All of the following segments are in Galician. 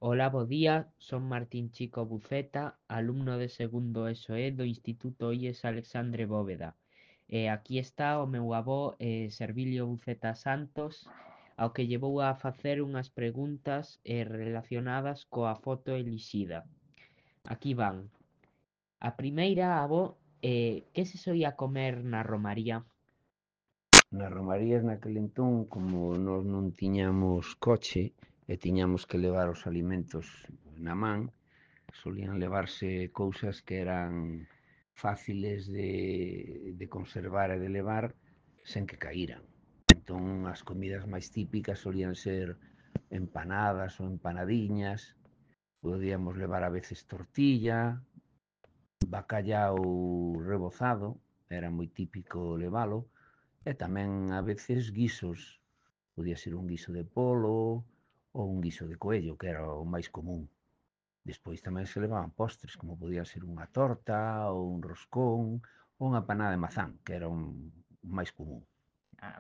Hola, bo día, son Martín Chico Buceta, alumno de segundo ESOE do Instituto IES Alexandre Bóveda. Aquí está o meu avó Servilio Buceta Santos, ao que llevou a facer unhas preguntas relacionadas coa foto elixida. Aquí van. A primeira, avó, que se soía comer na romaría? Nas romarías naquel entón, como nós non tiñamos coche e tiñamos que levar os alimentos na man, solían levarse cousas que eran fáciles de conservar e de levar sen que caíran. Entón, as comidas máis típicas solían ser empanadas ou empanadiñas, podíamos levar a veces tortilla, bacallau rebozado, era moi típico levalo, e tamén a veces guisos, podía ser un guiso de polo ou un guiso de coello, que era o máis común. Despois tamén se levaban postres, como podía ser unha torta ou un roscón ou unha panada de mazán, que era un máis común.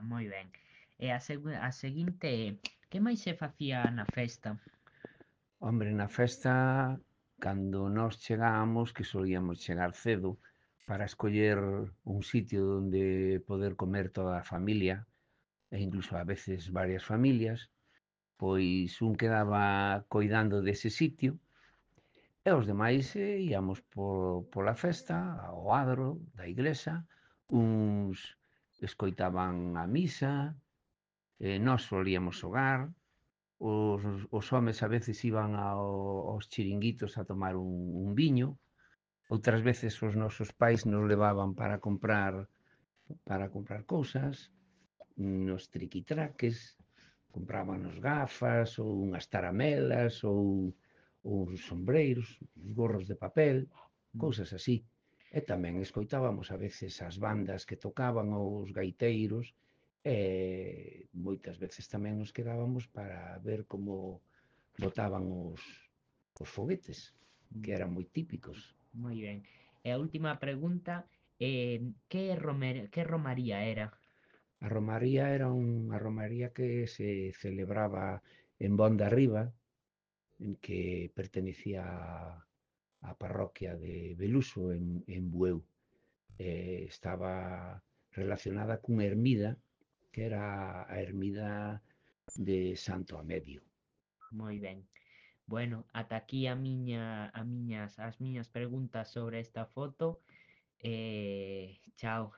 Moi ben. E a seguinte é, que máis se facía na festa? Hombre, na festa, cando nós chegábamos, que solíamos chegar cedo, para escoller un sitio onde poder comer toda a familia, e incluso a veces varias familias, pois un quedaba coidando dese sitio e os demais íamos pola festa, ao adro da igrexa, uns escoitaban a misa, nós solíamos xogar, os homes a veces iban aos chiringuitos a tomar un viño, outras veces os nosos pais nos levaban para comprar cousas, nos triquitraques, comprábanos gafas ou unhas taramelas ou uns sombreiros, uns gorros de papel, Mm. cousas así. E tamén escoitábamos a veces as bandas que tocaban os gaiteiros e moitas veces tamén nos quedábamos para ver como botaban os foguetes, que Mm. eran moi típicos. Moi ben. E a última pregunta, que romaría era? A romaría era unha romaría que se celebraba en Bonda Riba, en que pertenecía á parroquia de Beluso en Bueu. Estaba relacionada cunha ermida que era a ermida de Santo Amedio. Moi ben. Bueno, ata aquí as miñas preguntas sobre esta foto. Chao.